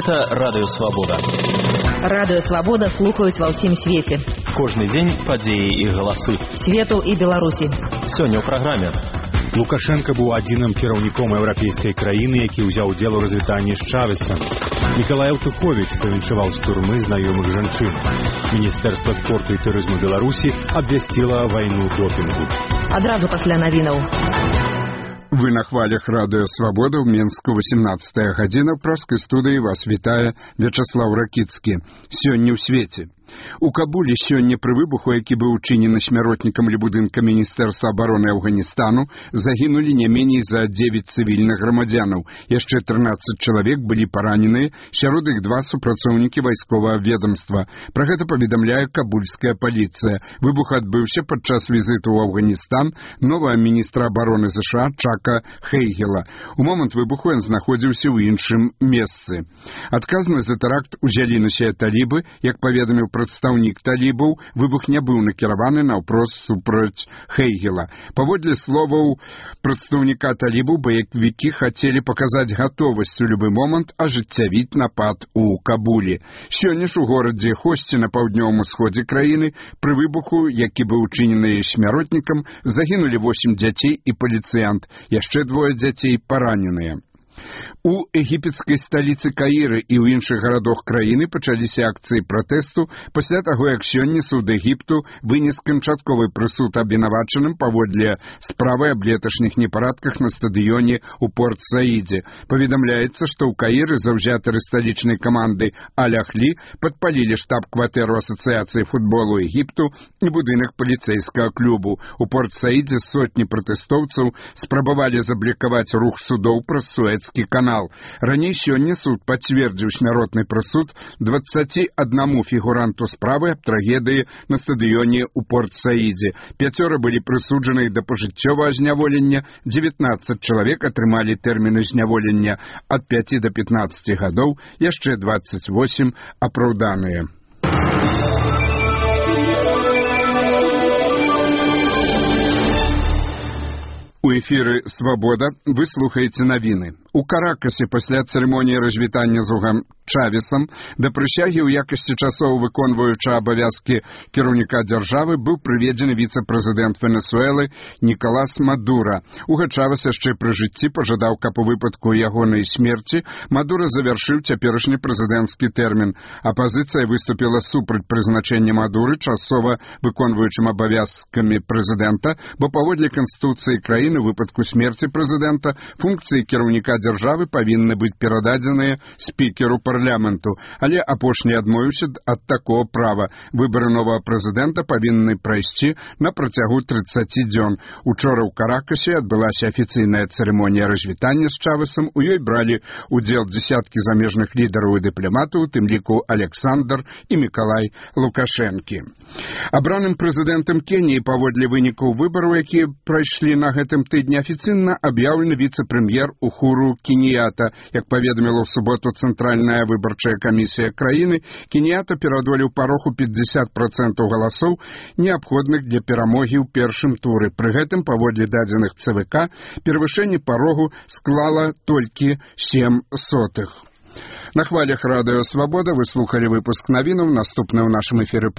Гэта Радыё Свабода. Радыё Свабода слухаюць ва ўсім свеце. Кожны дзень падзеі і галасы. Свету і Беларусі. Сёння ў праграме. Лукашенко быў адзіным кіраўніком еўрапейскай краіны, які ўзяў удзел у развітанні з Чавесам. Мікалай Аўтуховіч павіншаваў з турмы знаёмых жанчын. Міністэрства спорту і турызму Беларусі абвясціла вайну допінгу. Адразу пасля навінаў. Вы на хвалях Радыё Свабода ў Менску 18 гадзіна. В праскай студыі вас вітае Вячаслаў Ракіцкі. Сёння ў свеце. У Кабулі сёння пры выбуху, які быў учынены смяротнікам ля будынка Міністэрства абароны Афганістану, загінулі не меней за 9 цывільных грамадзянаў. Яшчэ 13 чалавек былі параненыя, сярод іх 2 супрацоўнікі вайсковага ведамства. Пра гэта паведамляе кабульская паліцыя. Выбух адбыўся падчас візіту ў Афганістан новага міністра абароны США Чака Хейгела. У момант выбуху ён знаходзіўся ў іншым месцы. Адказнасць за тэракт узялі на сябе талібы, як паведаміў прадстаўнік талібаў, выбух не быў накіраваны наўпрост супраць Хейгела. Паводле словаў прадстаўніка талібаў, баевікі хацелі паказаць гатовасць у любы момант ажыццявіць напад у Кабулі. Сёння ж у горадзе Хосці на паўднёвым усходзе краіны пры выбуху, які быў учынены смяротнікам, загінулі 8 дзяцей і паліцыянт. Яшчэ 2 дзяцей параненыя. У егіпецкай сталіцы Каіры і ў іншых гарадах краіны пачаліся акцыі пратэсту пасля таго, як сёння суд Егіпту вынес канчатковы прысуд абвінавачаным паводле справы аб леташніх непарадках на стадыёне ў Порт-Саідзе. Паведамляецца, што ў Каіры заўзятары сталічнай каманды Аль-Ахлі падпалілі штаб-кватэру Асацыяцыі футболу Егіпту і будынак паліцэйскага клубу. У Порт-Саідзе сотні пратэстоўцаў спрабавалі заблакаваць рух судоў праз Суэцкі канал. Раней сёння суд пацвердзіў смяротны прысуд 21 фігуранту справы аб трагедыі на стадыёне ў Порт-Саідзе. 5 былі прысуджаны да пажыццёвага зняволення, 19 чалавек атрымалі тэрміны зняволення ад 5 до 15 гадоў, яшчэ 28 апраўданыя. У эфіры «Свабода» вы слухаеце навіны. У Каракасе пасля цырымоніі развітання з Угам Чавесам да прысягі ў якасці часоў выконваюча абавязкі кіраўніка дзяржавы быў прыведзены віцэ-прэзідэнт Венесуэлы Нікалас Мадура. Уга Чавес яшчэ пры жыцці пажадаў, каб у выпадку ягонай смерці Мадура завяршыў цяперашні прэзідэнцкі тэрмін. Апазіцыя выступіла супраць прызначэння Мадуры часова выконваючым абавязкамі прэзідэнта, бо паводле Канстытуцыі краіны у выпадку смерці прэзідэнта функцыі кіраўніка дзяржавы павінны быць перададзеныя спікеру парламенту, але апошні адмовіўся ад такого права. Выбары новага прэзідэнта павінны прайсці на працягу 30 дзён. Учора ў Каракасе адбылася афіцыйная цырымонія развітання з Чавесам. У ёй бралі удзел дзесяткі замежных лідараў і дыпламатаў, у тым ліку Александр і Мікалай Лукашэнкі. Абраным прэзідэнтам Кеніі паводле вынікаў выбараў, якія прайшлі на гэтым тыдні, афіцыйна аб'яўлены віцэ-прэм'ер Ухуру Кенията. Як паведаміла ў суботу Цэнтральная выбарчая камісія краіны, Кенията пераадолеў парог у 50% галасоў, неабходных для перамогі ў першым туры. Пры гэтым, паводле дадзеных ЦВК, перавышэнне парогу склала толькі 0,07. На хвалях Радыё Свабода вы слухалі выпуск навінаў. Наступны ў нашым эфіры